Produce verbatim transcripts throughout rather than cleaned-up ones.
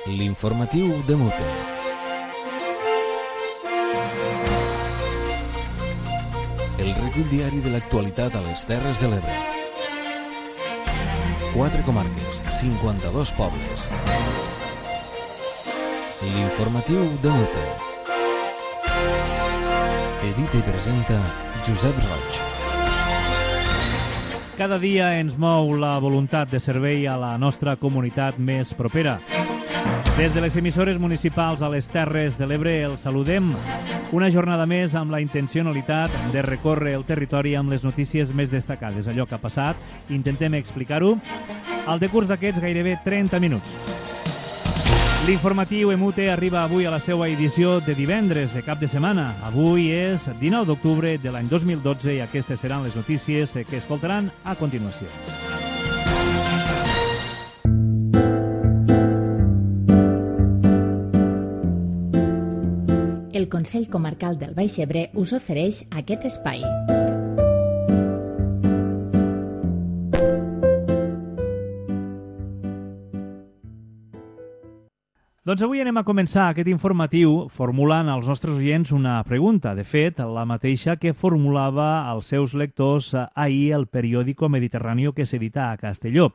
L'informatiu de Mute. El recull diari de l'actualitat a les Terres de l'Ebre. Quatre comarques, cinquanta-dos pobles. L'informatiu de Mute. Edita i presenta Josep Roig. Cada dia ens mou la voluntat de servei a la nostra comunitat més propera. Des de les emissores municipals a les Terres de l'Ebre els saludem. Una jornada més amb la intencionalitat de recórrer el territori amb les notícies més destacades. Allò que ha passat, intentem explicar-ho al decurs d'aquests gairebé trenta minuts. L'informatiu Emute arriba avui a la seva edició de divendres de cap de setmana. Avui és dinou d'octubre de l'any dos mil dotze i aquestes seran les notícies que escoltaran a continuació. El Consell Comarcal del Baix Ebre us ofereix aquest espai. Doncs avui anem a començar aquest informatiu formulant als nostres oients una pregunta. De fet, la mateixa que formulava als seus lectors ahir el periòdico Mediterráneo que s'edita a Castelló.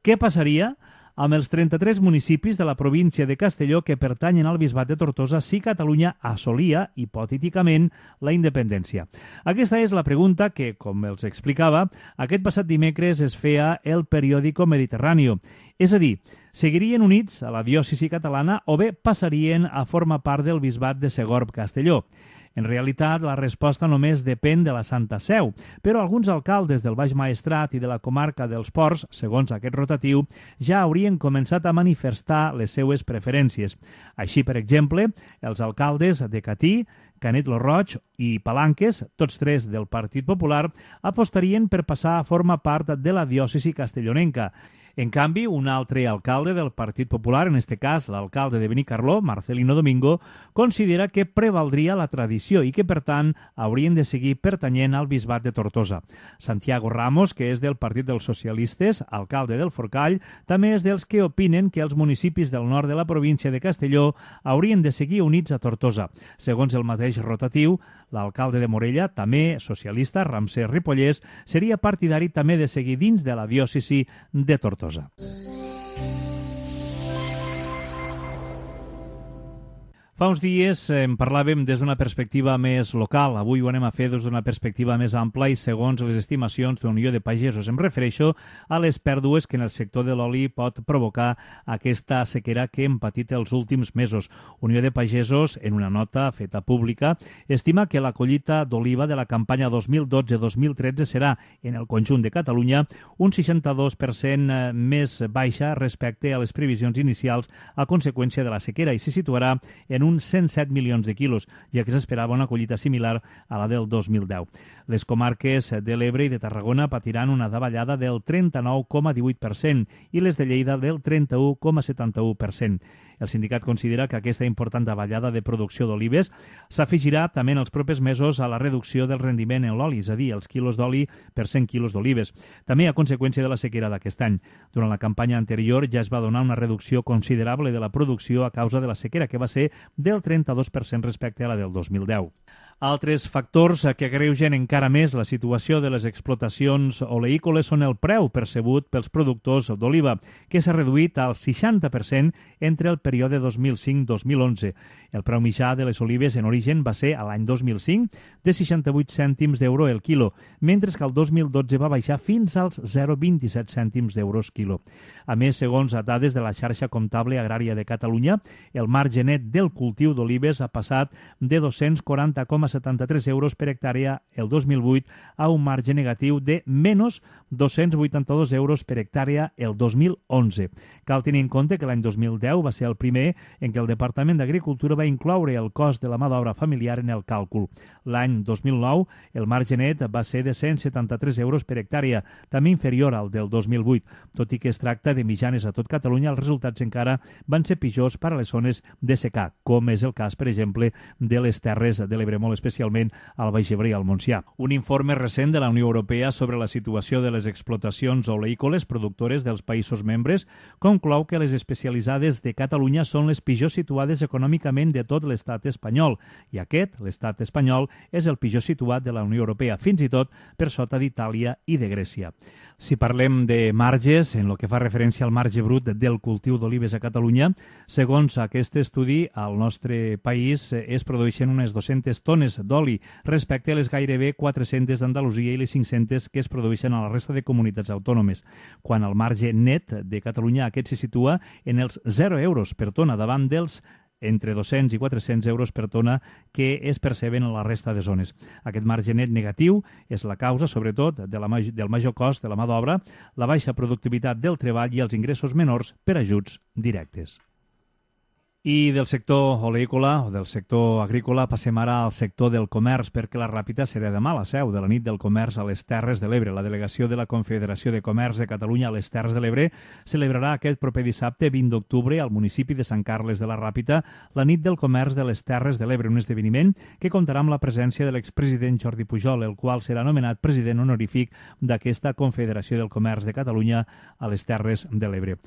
Què passaria amb els trenta-tres municipis de la província de Castelló que pertanyen al Bisbat de Tortosa si Catalunya assolia, hipotèticament, la independència? Aquesta és la pregunta que, com els explicava, aquest passat dimecres es feia el periòdico Mediterráneo. És a dir, seguirien units a la diòcesi catalana o bé passarien a formar part del Bisbat de Segorb-Castelló. En realitat, la resposta només depèn de la Santa Seu, però alguns alcaldes del Baix Maestrat i de la comarca dels Ports, segons aquest rotatiu, ja haurien començat a manifestar les seues preferències. Així, per exemple, els alcaldes de Catí, Canet lo Roig i Palanques, tots tres del Partit Popular, apostarien per passar a formar part de la diòcesi castellonenca. En canvi, un altre alcalde del Partit Popular, en este cas l'alcalde de Benicarló, Marcelino Domingo, considera que prevaldria la tradició i que, per tant, haurien de seguir pertanyent al Bisbat de Tortosa. Santiago Ramos, que és del Partit dels Socialistes, alcalde del Forcall, també és dels que opinen que els municipis del nord de la província de Castelló haurien de seguir units a Tortosa. Segons el mateix rotatiu, l'alcalde de Morella, també socialista, Ramsès Ripollès, seria partidari també de seguir dins de la diòcesi de Tortosa. Fa uns dies en parlàvem des d'una perspectiva més local. Avui ho anem a fer des d'una perspectiva més ampla i segons les estimacions de la Unió de Pagesos. Em refereixo a les pèrdues que en el sector de l'oli pot provocar aquesta sequera que hem patit els últims mesos. Unió de Pagesos, en una nota feta pública, estima que la collita d'oliva de la campanya dos mil dotze dos mil tretze serà, en el conjunt de Catalunya, un seixanta-dos per cent més baixa respecte a les previsions inicials a conseqüència de la sequera i se situarà en un uns cent set milions de quilos, ja que s'esperava una collita similar a la del dos mil deu. Les comarques de l'Ebre i de Tarragona patiran una davallada del trenta-nou coma divuit per cent i les de Lleida del trenta-u coma setanta-u per cent. El sindicat considera que aquesta important davallada de producció d'olives s'afegirà també en els propers mesos a la reducció del rendiment en l'oli, és a dir, els quilos d'oli per cent quilos d'olives, també a conseqüència de la sequera d'aquest any. Durant la campanya anterior ja es va donar una reducció considerable de la producció a causa de la sequera, que va ser del trenta-dos per cent respecte a la del dos mil deu. Altres factors que agreugen encara més la situació de les explotacions oleícoles són el preu percebut pels productors d'oliva, que s'ha reduït al seixanta per cent entre el període dos mil cinc dos mil onze. El preu mitjà de les olives en origen va ser, a l'any dos mil cinc, de seixanta-vuit cèntims d'euro el quilo, mentre que el dos mil dotze va baixar fins als zero coma vint-i-set cèntims d'euros quilo. A més, segons dades de la xarxa comptable agrària de Catalunya, el marge net del cultiu d'olives ha passat de dos-cents quaranta coma setanta-tres euros per hectàrea el dos mil vuit a un marge negatiu de menys dos-cents vuitanta-dos euros per hectàrea el dos mil onze. Cal tenir en compte que l'any dos mil deu va ser el primer en què el Departament d'Agricultura va incloure el cost de la mà d'obra familiar en el càlcul. L'any dos mil nou el marge net va ser de cent setanta-tres euros per hectàrea, també inferior al del dos mil vuit. Tot i que es tracta de mitjanes a tot Catalunya, els resultats encara van ser pitjors per a les zones de secà, com és el cas, per exemple, de les Terres de l'Ebre, molt especialment al Baix Ebre i al Montsià. Un informe recent de la Unió Europea sobre la situació de les explotacions oleícoles productores dels països membres conclou que les especialitzades de Catalunya són les pitjor situades econòmicament de tot l'estat espanyol, i aquest, l'estat espanyol, és el pitjor situat de la Unió Europea, fins i tot per sota d'Itàlia i de Grècia. Si parlem de marges, en el que fa referència al marge brut del cultiu d'olives a Catalunya, segons aquest estudi, al nostre país es produeixen unes dues-centes tones d'oli respecte a les gairebé quatre-centes d'Andalusia i les cinc-centes que es produeixen a la resta de comunitats autònomes, quan el marge net de Catalunya aquest se situa en els zero euros per tona davant dels entre dos-cents i quatre-cents euros per tona que es perceben a la resta de zones. Aquest marge net negatiu és la causa, sobretot, de la, del major cost de la mà d'obra, la baixa productivitat del treball i els ingressos menors per ajuts directes. I del sector oleícola o del sector agrícola passem ara al sector del comerç, perquè la Ràpita serà demà la seu de la nit del comerç a les Terres de l'Ebre. La delegació de la Confederació de Comerç de Catalunya a les Terres de l'Ebre celebrarà aquest proper dissabte vint d'octubre al municipi de Sant Carles de la Ràpita la nit del comerç de les Terres de l'Ebre, un esdeveniment que comptarà amb la presència de l'expresident Jordi Pujol, el qual serà nomenat president honorífic d'aquesta Confederació del Comerç de Catalunya a les Terres de l'Ebre.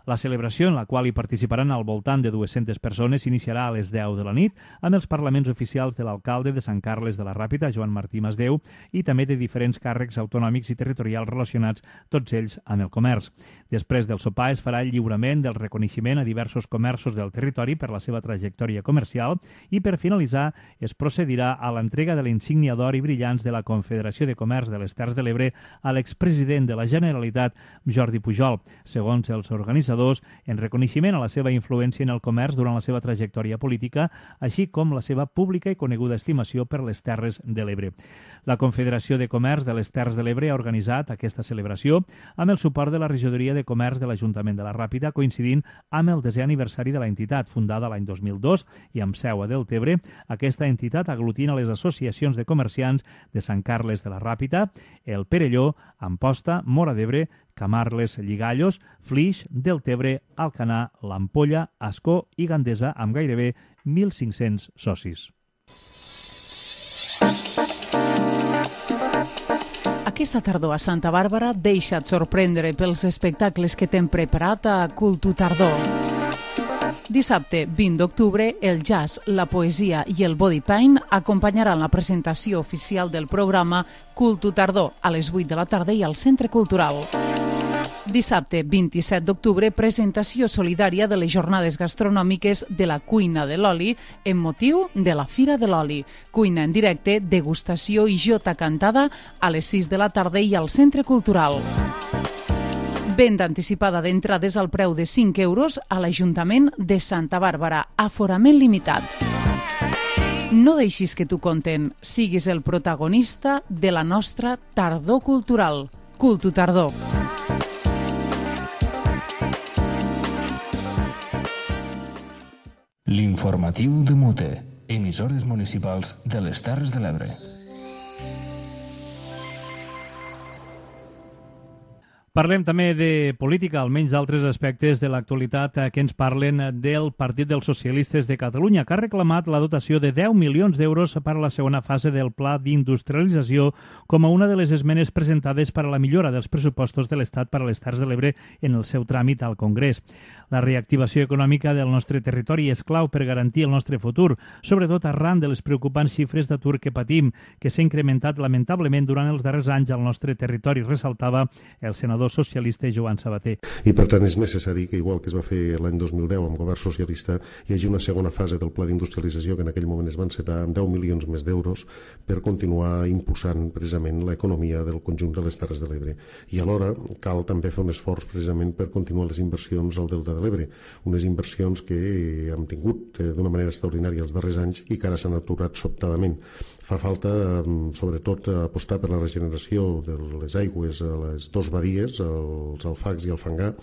La celebració, en la qual hi participaran al voltant de dues-centes persones, s'iniciarà a les deu de la nit amb els parlaments oficials de l'alcalde de Sant Carles de la Ràpita, Joan Martí Masdeu, i també de diferents càrrecs autonòmics i territorials relacionats, tots ells amb el comerç. Després del sopar es farà el lliurament del reconeixement a diversos comerços del territori per la seva trajectòria comercial i, per finalitzar, es procedirà a l'entrega de l'insígnia d'or i brillants de la Confederació de Comerç de les Terres de l'Ebre a l'expresident de la Generalitat, Jordi Pujol, segons els organitzadors, en reconeixement a la seva influència en el comerç durant la seva trajectòria política, així com la seva pública i coneguda estimació per les Terres de l'Ebre. La Confederació de Comerç de les Terres de l'Ebre ha organitzat aquesta celebració amb el suport de la Regidoria de Comerç de l'Ajuntament de la Ràpita, coincidint amb el desè aniversari de la entitat, fundada l'any dos mil dos i amb seu a Deltebre. Aquesta entitat aglutina les associacions de comerciants de Sant Carles de la Ràpita, el Perelló, Amposta, Móra d'Ebre, Camarles, Lligallos, Flix, Deltebre, Alcanar, l'Ampolla, Ascó i Gandesa, amb gairebé mil cinc-cents socis. Aquesta tardor a Santa Bàrbara deixa't sorprendre pels espectacles que t'hem preparat a Cultu Tardor. Dissabte vint d'octubre, el jazz, la poesia i el body paint acompanyaran la presentació oficial del programa Cultu Tardor a les vuit de la tarda i al Centre Cultural. Dissabte vint-i-set d'octubre, presentació solidària de les jornades gastronòmiques de la Cuina de l'Oli en motiu de la Fira de l'Oli. Cuina en directe, degustació i jota cantada a les sis de la tarda i al Centre Cultural. Venda anticipada d'entrades al preu de cinc euros a l'Ajuntament de Santa Bàrbara. Aforament limitat. No deixis que t'ho conten. Siguis el protagonista de la nostra tardor cultural. Cultu Tardor. L'informatiu de Mute, emissores municipals de les Terres de l'Ebre. Parlem també de política, almenys d'altres aspectes de l'actualitat que ens parlen del Partit dels Socialistes de Catalunya, que ha reclamat la dotació de deu milions d'euros per a la segona fase del pla d'industrialització com a una de les esmenes presentades per a la millora dels pressupostos de l'Estat per a les Terres de l'Ebre en el seu tràmit al Congrés. La reactivació econòmica del nostre territori és clau per garantir el nostre futur, sobretot arran de les preocupants xifres d'atur que patim, que s'ha incrementat lamentablement durant els darrers anys al nostre territori, ressaltava el senador socialista Joan Sabater. I per tant és necessari que, igual que es va fer l'any dos mil deu amb govern socialista, hi hagi una segona fase del pla d'industrialització que en aquell moment es van encetar amb deu milions més d'euros per continuar impulsant precisament l'economia del conjunt de les Terres de l'Ebre. I alhora cal també fer un esforç precisament per continuar les inversions al Delta de l'Ebre, unes inversions que hem tingut d'una manera extraordinària els darrers anys i que ara s'han aturat sobtadament. Fa falta, sobretot, apostar per la regeneració de les aigües a les dues badies, Roquetes, els Alfacs i el Fangar,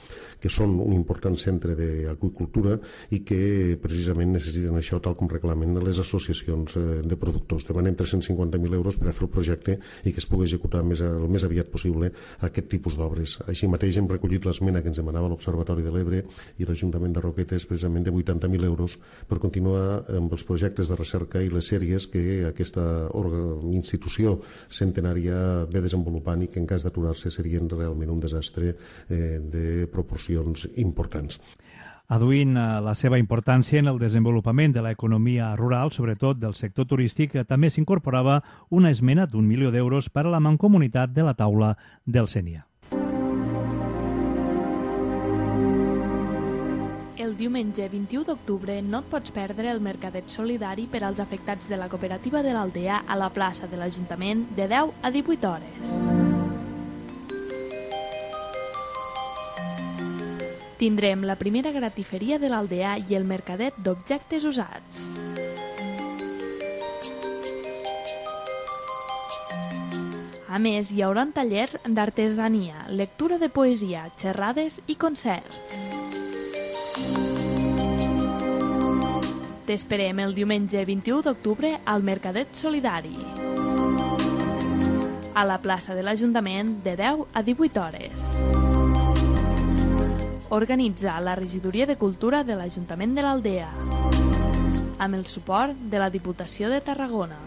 que són un important centre d'aqüicultura i que precisament necessiten això tal com reclamen les associacions de productors. Demanem tres-cents cinquanta mil euros per a fer el projecte i que es pugui executar més, el més aviat possible aquest tipus d'obres. Així mateix hem recollit l'esmena que ens demanava l'Observatori de l'Ebre i l'Ajuntament de Roquetes precisament de vuitanta mil euros per continuar amb els projectes de recerca i les sèries que aquesta institució centenària ve desenvolupant i que en cas d'aturar-se serien realment un desastre eh, de proporcions importants. Aduint la seva importància en el desenvolupament de l'economia rural, sobretot del sector turístic, també s'incorporava una esmena d'un milió d'euros per a la mancomunitat de la taula del Sénia. El diumenge vint-i-u d'octubre no et pots perdre el mercadet solidari per als afectats de la cooperativa de l'Aldea a la plaça de l'Ajuntament de deu a divuit hores. Tindrem la primera gratiferia de l'Aldea i el mercadet d'objectes usats. A més, hi haurà tallers d'artesania, lectura de poesia, xerrades i concerts. T'esperem el diumenge vint-i-u d'octubre al Mercadet Solidari, a la plaça de l'Ajuntament de deu a divuit hores. Organitza la Regidoria de Cultura de l'Ajuntament de l'Aldea, amb el suport de la Diputació de Tarragona.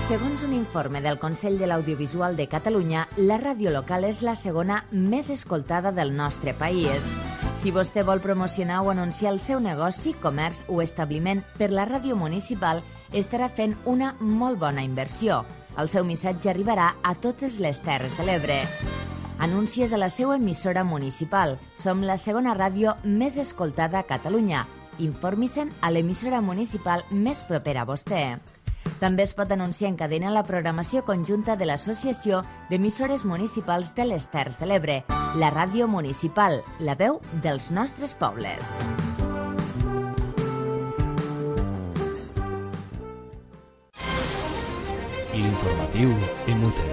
Segons un informe del Consell de l'Audiovisual de Catalunya, la ràdio local és la segona més escoltada del nostre país. Si vostè vol promocionar o anunciar el seu negoci, comerç o establiment per la ràdio municipal, estarà fent una molt bona inversió. El seu missatge arribarà a totes les Terres de l'Ebre. Anuncies a la seva emissora municipal. Som la segona ràdio més escoltada a Catalunya. Informi-se'n a l'emissora municipal més propera a vostè. També es pot anunciar en cadena la programació conjunta de l'Associació d'Emissores Municipals de les Terres de l'Ebre, la ràdio municipal, la veu dels nostres pobles. L'informatiu Emute.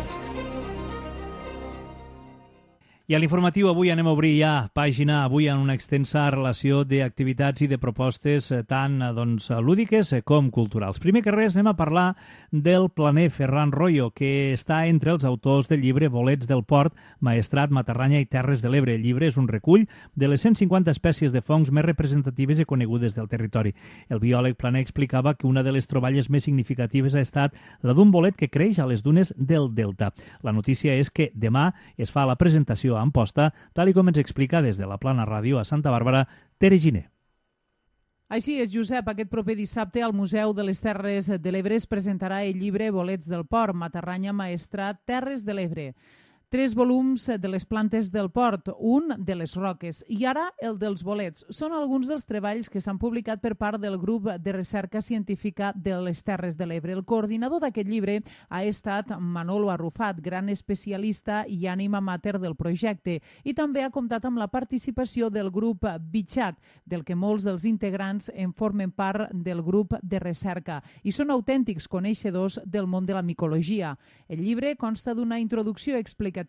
I a l'informatiu avui anem a obrir ja pàgina avui en una extensa relació d'activitats i de propostes tant doncs, lúdiques com culturals. Primer que res anem a parlar del planer Ferran Royo, que està entre els autors del llibre Bolets del Port, Maestrat, Matarranya i Terres de l'Ebre. El llibre és un recull de les cent cinquanta espècies de fongs més representatives i conegudes del territori. El biòleg planer explicava que una de les troballes més significatives ha estat la d'un bolet que creix a les dunes del Delta. La notícia és que demà es fa la presentació a Amposta, tal i com ens explica des de la Plana Ràdio a Santa Bàrbara, Tere Giner. Així és, Josep. Aquest proper dissabte al Museu de les Terres de l'Ebre es presentarà el llibre Bolets del Port, Matarranya, Maestrat, Terres de l'Ebre. Tres volums de les plantes del port, un de les roques i ara el dels bolets. Són alguns dels treballs que s'han publicat per part del grup de recerca científica de les Terres de l'Ebre. El coordinador d'aquest llibre ha estat Manolo Arrufat, gran especialista i ànima mater del projecte, i també ha comptat amb la participació del grup Bitxac, del que molts dels integrants en formen part del grup de recerca i són autèntics coneixedors del món de la micologia. El llibre consta d'una introducció explicativa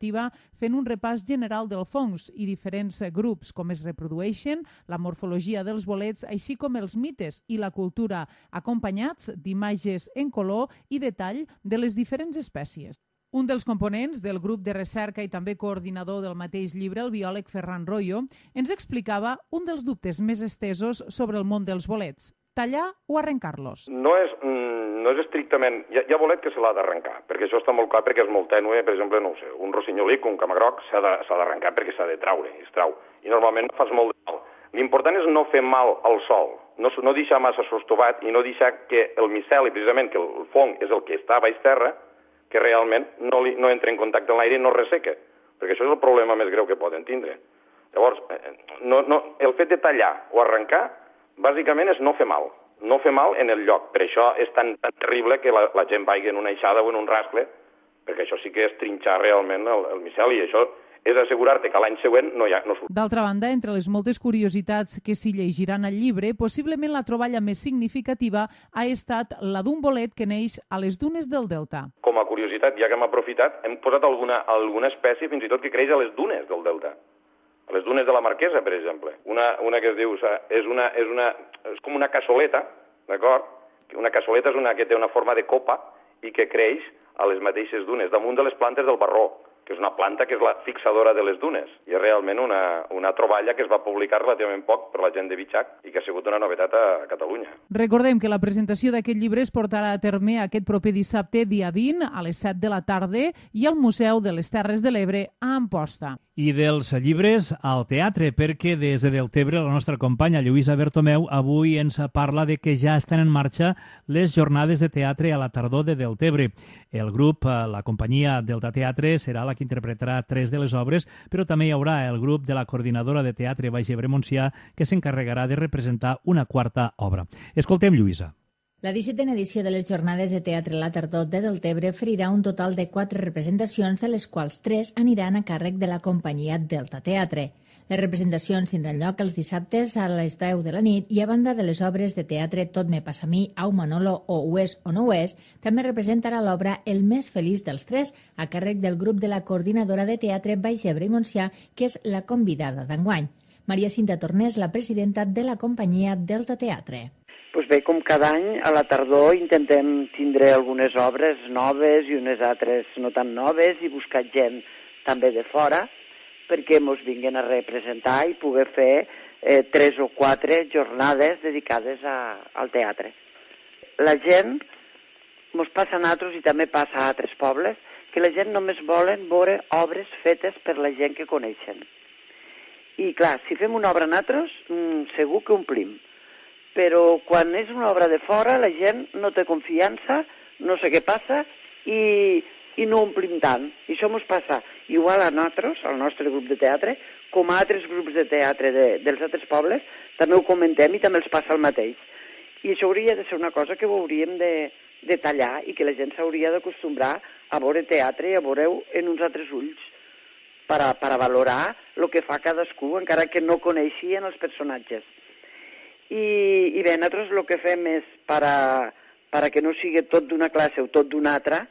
fent un repàs general del fongs i diferents grups, com es reprodueixen, la morfologia dels bolets, així com els mites i la cultura, acompanyats d'imatges en color i detall de les diferents espècies. Un dels components del grup de recerca i també coordinador del mateix llibre, el biòleg Ferran Royo, ens explicava un dels dubtes més estesos sobre el món dels bolets: tallar o arrencar-los. No és... No és estrictament... Hi ha, hi ha bolet que se l'ha d'arrencar, perquè això està molt clar, perquè és molt tènue. Per exemple, no ho sé, un rossinyolic, un camagroc, s'ha d'arrencar perquè s'ha de traure, i es trau. I normalment fas molt de mal. L'important és no fer mal al sol, no, no deixar massa sostovat i no deixar que el miceli, precisament, que el fong és el que està a baix terra, que realment no, li, no entra en contacte amb l'aire i no resseca, perquè això és el problema més greu que poden tindre. Llavors, no, no, el fet de tallar o arrencar, bàsicament és no fer mal. No fer mal en el lloc. Per això és tan, tan terrible que la, la gent vagi en una eixada o en un rascle, perquè això sí que és trinxar realment el, el miceli, i això és assegurar-te que l'any següent no, hi ha, no surt. D'altra banda, entre les moltes curiositats que s'hi llegiran al llibre, possiblement la troballa més significativa ha estat la d'un bolet que neix a les dunes del Delta. Com a curiositat, ja que hem aprofitat, hem posat alguna, alguna espècie fins i tot que creix a les dunes del Delta. A les dunes de la Marquesa, per exemple. Una, una que es diu, és, una, és, una, és com una cassoleta, d'acord? Una cassoleta és una que té una forma de copa i que creix a les mateixes dunes, damunt de les plantes del Barró, que és una planta que és la fixadora de les dunes. I és realment una, una troballa que es va publicar relativament poc per la gent de Bitxac i que ha sigut una novetat a Catalunya. Recordem que la presentació d'aquest llibre es portarà a terme aquest proper dissabte, dia vint, a les set de la tarda, i al Museu de les Terres de l'Ebre a Amposta. I dels llibres al teatre, perquè des de Deltebre la nostra companya Lluïsa Bertomeu avui ens parla de que ja estan en marxa les jornades de teatre a la tardor de Deltebre. El grup, la companyia Delta Teatre, serà la que interpretarà tres de les obres, però també hi haurà el grup de la coordinadora de teatre Baix Ebre Montsià que s'encarregarà de representar una quarta obra. Escoltem Lluïsa. La dissetena edició de les Jornades de Teatre a la Tardor de Deltebre oferirà un total de quatre representacions, de les quals tres aniran a càrrec de la companyia Delta Teatre. Les representacions tindran lloc els dissabtes a les deu de la nit i, a banda de les obres de teatre Tot me passa a mi, Au Manolo o Ho és o no ho és, també representarà l'obra El més feliç dels tres, a càrrec del grup de la coordinadora de teatre Baix Ebre i Montsià, que és la convidada d'enguany. Maria Cinta Tornés, la presidenta de la companyia Delta Teatre. Pues bé, com cada any, a la tardor intentem tindre algunes obres noves i unes altres no tan noves i buscar gent també de fora perquè ens vinguin a representar i poder fer eh, tres o quatre jornades dedicades a, al teatre. La gent, ens passa a nosaltres i també passa a altres pobles, que la gent només volen veure obres fetes per la gent que coneixen. I clar, si fem una obra nosaltres, mmm, segur que omplim. Però quan és una obra de fora la gent no té confiança, no sé què passa i, i no omplim tant. I això ens passa igual a nosaltres, al nostre grup de teatre, com a altres grups de teatre de, dels altres pobles, també ho comentem i també els passa el mateix. I això hauria de ser una cosa que ho hauríem de, de tallar i que la gent s'hauria d'acostumbrar a veure teatre i a veure-ho en uns altres ulls per a, per a valorar el que fa cadascú, encara que no coneixien els personatges. I, i bé, nosaltres el que fem és, per a, per a que no sigui tot d'una classe o tot d'una altra,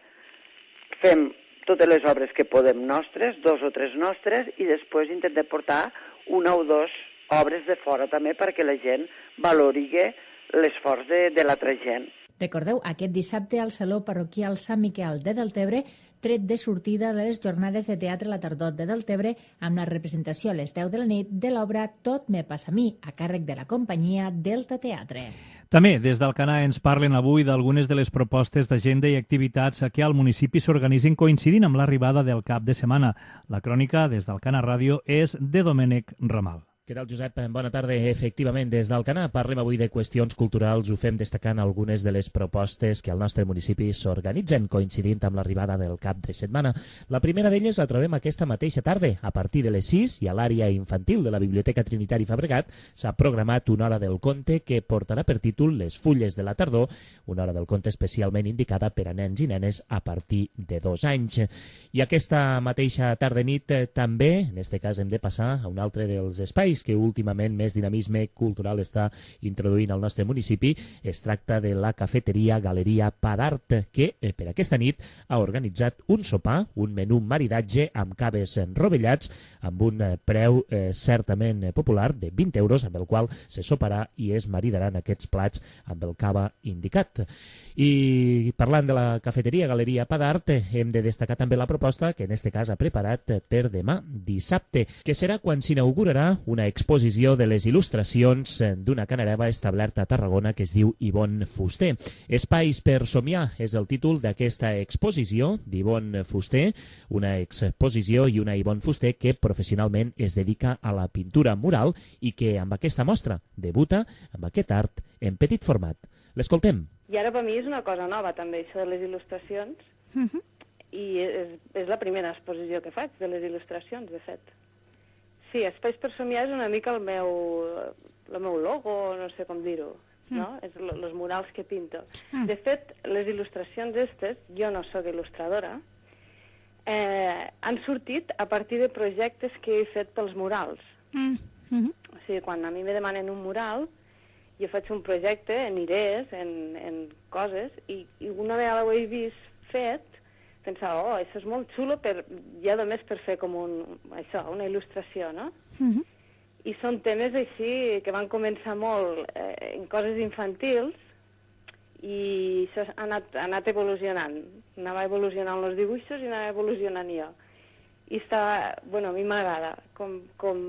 fem totes les obres que podem nostres, dos o tres nostres, i després intentem portar una o dues obres de fora també perquè la gent valori l'esforç de, de l'altra gent. Recordeu, aquest dissabte al Saló Parroquial Sant Miquel de Deltebre, tret de sortida de les jornades de teatre a la tardor de Deltebre, amb la representació a les deu de la nit de l'obra Tot me passa a mi, a càrrec de la companyia Delta Teatre. També des d'Alcanar ens parlen avui d'algunes de les propostes d'agenda i activitats que al municipi s'organitzen coincidint amb l'arribada del cap de setmana. La crònica des d'Alcanar Ràdio és de Domènec Ramal. Què tal, Josep? Bona tarda. Efectivament, des d'Alcanar parlem avui de qüestions culturals. Ho fem destacant algunes de les propostes que al nostre municipi s'organitzen coincidint amb l'arribada del cap de setmana. La primera d'elles la trobem aquesta mateixa tarda. A partir de les sis i a l'àrea infantil de la Biblioteca Trinitari Fabregat s'ha programat una hora del conte que portarà per títol Les fulles de la tardor, una hora del conte especialment indicada per a nens i nenes a partir de dos anys. I aquesta mateixa tarda-nit eh, també, en aquest cas hem de passar a un altre dels espais que últimament més dinamisme cultural està introduint al nostre municipi. Es tracta de la cafeteria Galeria Padart, que eh, per aquesta nit ha organitzat un sopar, un menú maridatge amb caves rovellats, amb un eh, preu eh, certament eh, popular de vint euros, amb el qual se soparà i es maridaran aquests plats amb el cava indicat. I parlant de la cafeteria Galeria Padart, eh, hem de destacar també la proposta que en aquest cas ha preparat eh, per demà dissabte, que serà quan s'inaugurarà una exposició de les il·lustracions d'una canareva establerta a Tarragona que es diu Ivonne Fuster. Espais per somiar és el títol d'aquesta exposició d'Ivonne Fuster, una exposició i una Ivonne Fuster que professionalment es dedica a la pintura mural i que amb aquesta mostra debuta amb aquest art en petit format. L'escoltem. I ara per mi és una cosa nova també, això de les il·lustracions, uh-huh. i és, és la primera exposició que faig de les il·lustracions, de fet. Sí, Espais per somiar és una mica el meu, el meu logo, no sé com dir-ho, mm. no? És els murals que pinto. Mm. De fet, les il·lustracions estes, jo no sóc il·lustradora, eh, han sortit a partir de projectes que he fet pels murals. Mm. Mm-hmm. O sigui, quan a mi me demanen un mural, jo faig un projecte en idees, en, en coses, i, i una vegada ho he vist fet, pensava, oh, això és molt xulo, per, ja només per fer com un, això, una il·lustració, no? Mm-hmm. I són temes així que van començar molt eh, en coses infantils i això ha anat, ha anat evolucionant. Anava evolucionant els dibuixos i anava evolucionant jo. I està, bueno, a mi m'agrada com, com,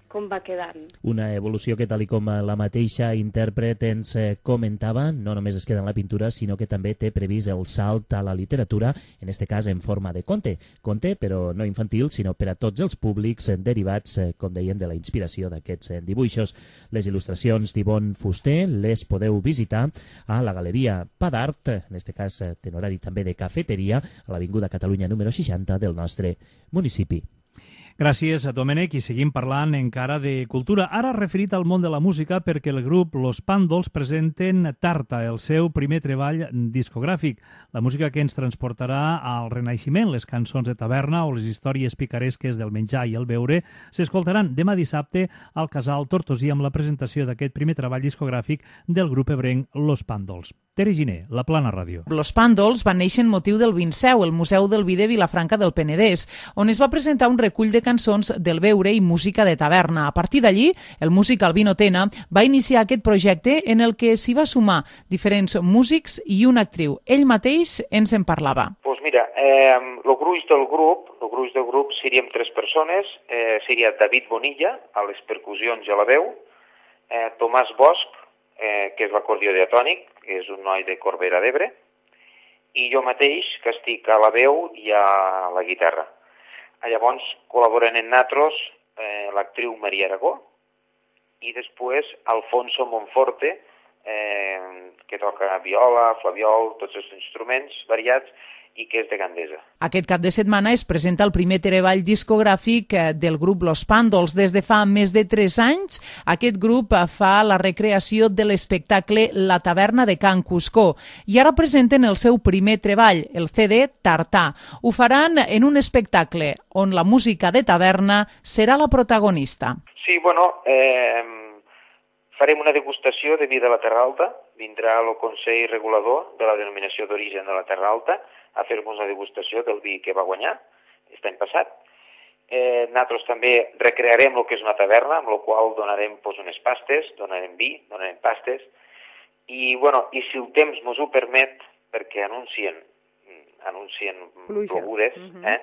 com va quedant. Una evolució que, tal i com la mateixa intèrpret ens comentava, no només es queda en la pintura, sinó que també té previst el salt a la literatura, en este cas en forma de conte. Conte, però no infantil, sinó per a tots els públics derivats, com dèiem, de la inspiració d'aquests dibuixos. Les il·lustracions d'Ivonne Fuster les podeu visitar a la Galeria Padart, en este cas en horari també de cafeteria, a l'Avinguda Catalunya número seixanta del nostre municipi. Gràcies a Domènec i seguim parlant encara de cultura. Ara referit al món de la música perquè el grup Los Pàndols presenten Tarta, el seu primer treball discogràfic. La música que ens transportarà al Renaixement, les cançons de taverna o les històries picaresques del menjar i el beure, s'escoltaran demà dissabte al Casal Tortosí amb la presentació d'aquest primer treball discogràfic del grup ebrenc Los Pàndols. Tere Giner, La Plana Ràdio. Los Pàndols van néixer en motiu del Vinseu, el Museu del Vi de Vilafranca del Penedès, on es va presentar un recull de cançons del beure i música de taverna. A partir d'allí, el músic Albino Tena va iniciar aquest projecte en el que s'hi va sumar diferents músics i una actriu. Ell mateix ens en parlava. Pues mira, eh, el gruix del grup, el gruix del grup seríem tres persones, eh, seria David Bonilla, a les percussions i a la veu, eh, Tomàs Bosch, eh, que és l'acordió diatònic, que és un noi de Corbera d'Ebre, i jo mateix, que estic a la veu i a la guitarra. Llavors col·laboren en natros eh, l'actriu Maria Aragó i després Alfonso Monforte, eh, que toca viola, flaviol, tots els instruments variats i que és de Gandesa. Aquest cap de setmana es presenta el primer treball discogràfic del grup Los Pàndols. Des de fa més de tres anys, aquest grup fa la recreació de l'espectacle La taverna de Can Cuscó i ara presenten el seu primer treball, el C D Tartà. Ho faran en un espectacle on la música de taverna serà la protagonista. Sí, bueno, eh, farem una degustació de vi de la Terra Alta. Vindrà el Consell Regulador de la Denominació d'Origen de la Terra Alta a fer-nos una degustació del vi que va guanyar aquest any passat. Eh, nosaltres també recrearem el que és una taverna, amb la qual donarem pues, unes pastes, donarem vi, donarem pastes, i, bueno, i si el temps ens ho permet, perquè anuncien, anuncien plogudes, uh -huh. eh,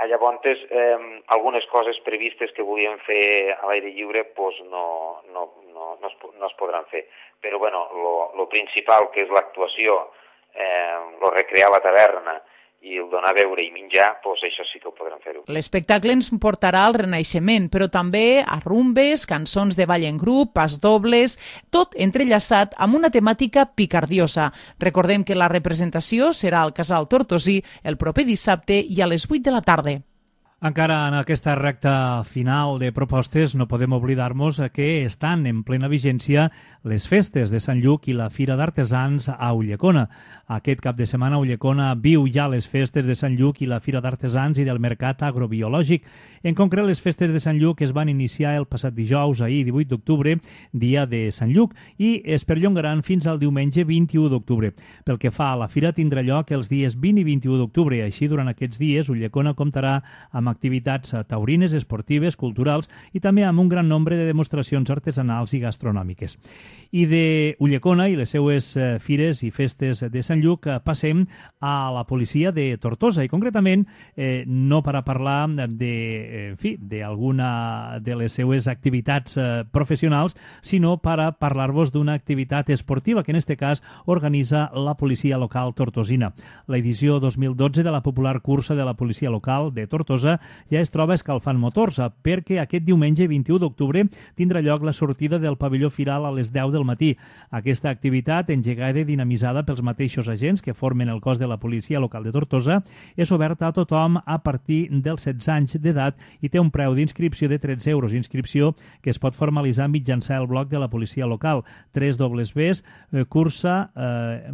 llavors eh, algunes coses previstes que volíem fer a l'aire lliure pues, no, no, no, no, es, no es podran fer. Però bueno, lo, lo principal, que és l'actuació, eh, lo recrear la taverna i el donar a beure i menjar, doncs això sí que ho podran fer-ho. L'espectacle ens portarà al Renaixement, però també a rumbes, cançons de ball en grup, pas dobles, tot entrellaçat amb una temàtica picardiosa. Recordem que la representació serà al Casal Tortosí el proper dissabte i a les vuit de la tarda. Encara en aquesta recta final de propostes no podem oblidar-nos que estan en plena vigència les festes de Sant Lluc i la Fira d'Artesans a Ulldecona. Aquest cap de setmana Ulldecona viu ja les festes de Sant Lluc i la Fira d'Artesans i del Mercat Agrobiològic. En concret, les festes de Sant Lluc es van iniciar el passat dijous, ahir, divuit d'octubre, dia de Sant Lluc, i es perllongaran fins al diumenge vint-i-u d'octubre. Pel que fa a la Fira, tindrà lloc els dies vint i vint-i-u d'octubre. Així, durant aquests dies, Ulldecona comptarà amb activitats taurines, esportives, culturals i també amb un gran nombre de demostracions artesanals i gastronòmiques. I de Ulldecona i les seues fires i festes de Sant Lluc passem a la policia de Tortosa i concretament eh, no per a parlar de, en fi, d'alguna de les seues activitats eh, professionals, sinó per a parlar-vos d'una activitat esportiva que en aquest cas organitza la policia local tortosina. L'edició dos mil dotze de la popular cursa de la policia local de Tortosa ja es troba escalfant motors perquè aquest diumenge vint-i-u d'octubre tindrà lloc la sortida del pavelló firal a les deu del matí. Aquesta activitat, engegada i dinamitzada pels mateixos agents que formen el cos de la policia local de Tortosa, és oberta a tothom a partir dels setze anys d'edat i té un preu d'inscripció de tretze euros, inscripció que es pot formalitzar mitjançant el blog de la policia local, tres dobles ves cursa, eh,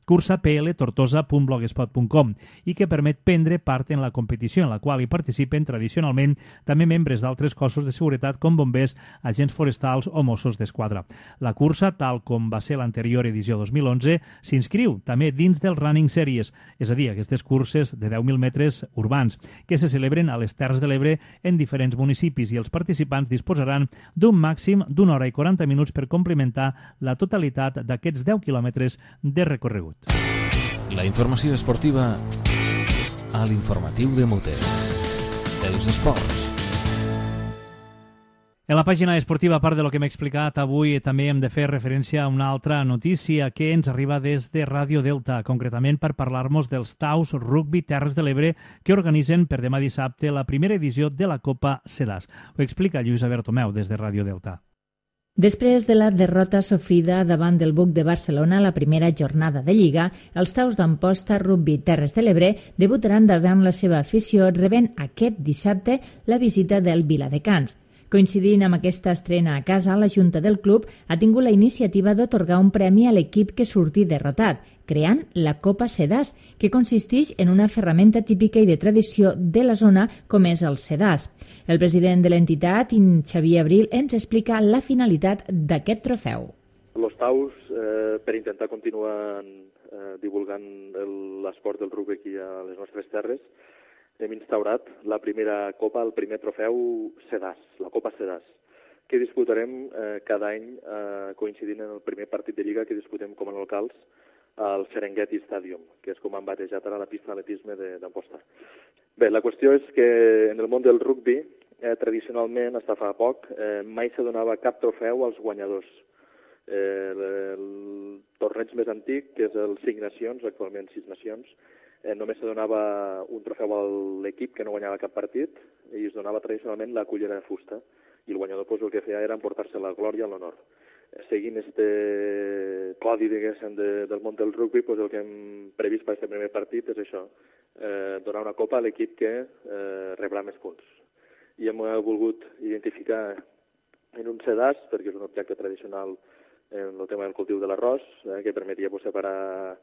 cursa p l tortosa punt blogspot punt com, i que permet prendre part en la competició, en la qual hi participen tradicionalment també membres d'altres cossos de seguretat com bombers, agents forestals o Mossos d'Esquadra. La cursa, tal com va ser l'anterior edició dos mil onze, s'inscriu també dins del Running Series, és a dir, aquestes curses de deu mil metres urbans, que se celebren a les Terres de l'Ebre en diferents municipis, i els participants disposaran d'un màxim d'una hora i quaranta minuts per complimentar la totalitat d'aquests deu quilòmetres de recorregut. La informació esportiva a l'informatiu de Mute. Els esports. En la pàgina esportiva, a part de lo que m'he explicat avui, també hem de fer referència a una altra notícia que ens arriba des de Ràdio Delta, concretament per parlar-nos dels Taus Rugby Terres de l'Ebre que organitzen per demà dissabte la primera edició de la Copa Sedàs. Ho explica Lluïsa Bertomeu des de Ràdio Delta. Després de la derrota sofrida davant del Buc de Barcelona a la primera jornada de Lliga, els Taus d'Amposta Rugby Terres de l'Ebre debutaran davant la seva afició rebent aquest dissabte la visita del Viladecans. Coincidint amb aquesta estrena a casa, la Junta del club ha tingut la iniciativa d'atorgar un premi a l'equip que surti derrotat, creant la Copa Sedàs, que consisteix en una ferramenta típica i de tradició de la zona com és el sedàs. El president de l'entitat, Xavier Abril, ens explica la finalitat d'aquest trofeu. Los Taus, eh, per intentar continuar eh, divulgant l'esport del rugby aquí a les nostres terres, hem instaurat la primera copa, el primer trofeu Sedàs, la Copa Sedàs, que disputarem eh, cada any eh, coincidint en el primer partit de Lliga que disputem com a locals al Serengeti Stadium, que és com han batejat ara la pista d'atletisme d'Amposta. Bé, la qüestió és que en el món del rugby, eh, tradicionalment, fins fa poc, eh, mai se donava cap trofeu als guanyadors. Eh, el, el torneig més antic, que és el Cinc Nacions, actualment Sis Nacions, Eh, només se donava un trofeu a l'equip que no guanyava cap partit i es donava tradicionalment la cullera de fusta i el guanyador pues, el que feia era emportar-se la glòria i l'honor. Eh, seguint este codi diguéssim de, del món del rugby, pues, el que hem previst per aquest primer partit és això, eh, donar una copa a l'equip que eh, rebrà més punts. I hem volgut identificar en un sedàs, perquè és un objecte tradicional en el tema del cultiu de l'arròs, eh, que permetia pues, separar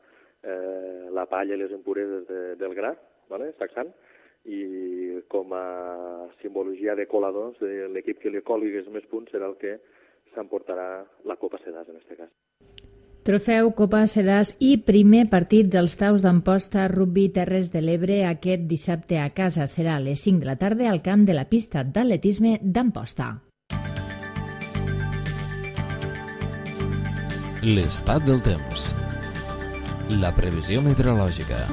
Eh, la palla i les impureses de, del gra, ¿vale? Sacsant, i com a simbologia de coladors de l'equip que li colgués més punts serà el que s'emportarà la Copa Sedàs en aquest cas. Trofeu Copa Sedàs i primer partit dels Taus d'Amposta Rugby Terres de l'Ebre aquest dissabte a casa. Serà a les cinc de la tarda al camp de la pista d'atletisme d'Amposta. L'estat del temps. La previsió meteorològica.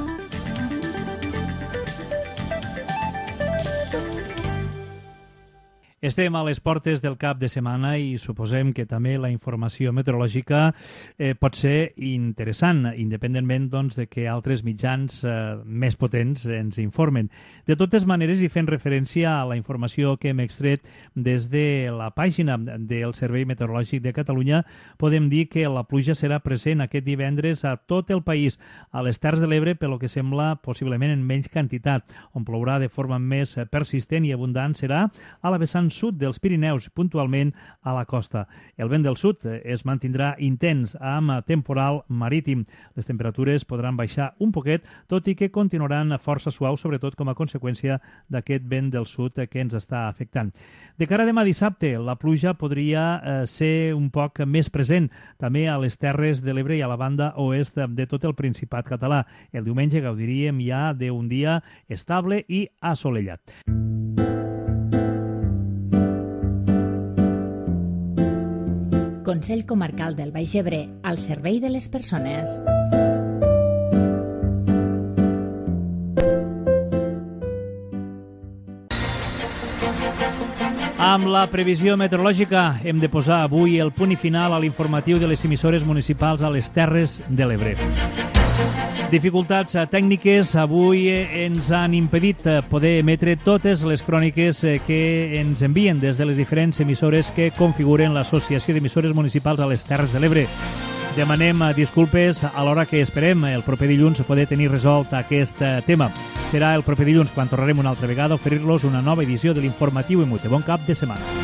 Estem a les portes del cap de setmana i suposem que també la informació meteorològica eh, pot ser interessant, independentment doncs, de que altres mitjans eh, més potents ens informen. De totes maneres, i fent referència a la informació que hem extret des de la pàgina del Servei Meteorològic de Catalunya, podem dir que la pluja serà present aquest divendres a tot el país, a les Terres de l'Ebre, pel que sembla possiblement en menys quantitat. On plourà de forma més persistent i abundant serà a la vessant sud dels Pirineus, puntualment a la costa. El vent del sud es mantindrà intens amb temporal marítim. Les temperatures podran baixar un poquet, tot i que continuaran força suaus, sobretot com a conseqüència d'aquest vent del sud que ens està afectant. De cara a demà dissabte, la pluja podria eh, ser un poc més present també a les Terres de l'Ebre i a la banda oest de tot el Principat català. El diumenge gaudiríem ja d'un dia estable i assolellat. Consell Comarcal del Baix Ebre, al servei de les persones. Amb la previsió meteorològica hem de posar avui el punt i final a l'informatiu de les emissores municipals a les Terres de l'Ebre. Dificultats tècniques avui ens han impedit poder emetre totes les cròniques que ens envien des de les diferents emissores que configuren l'Associació d'Emissores Municipals a les Terres de l'Ebre. Demanem disculpes a l'hora que esperem el proper dilluns poder tenir resolt aquest tema. Serà el proper dilluns quan tornarem una altra vegada a oferir-los una nova edició de l'informatiu I M U T E. Bon cap de setmana.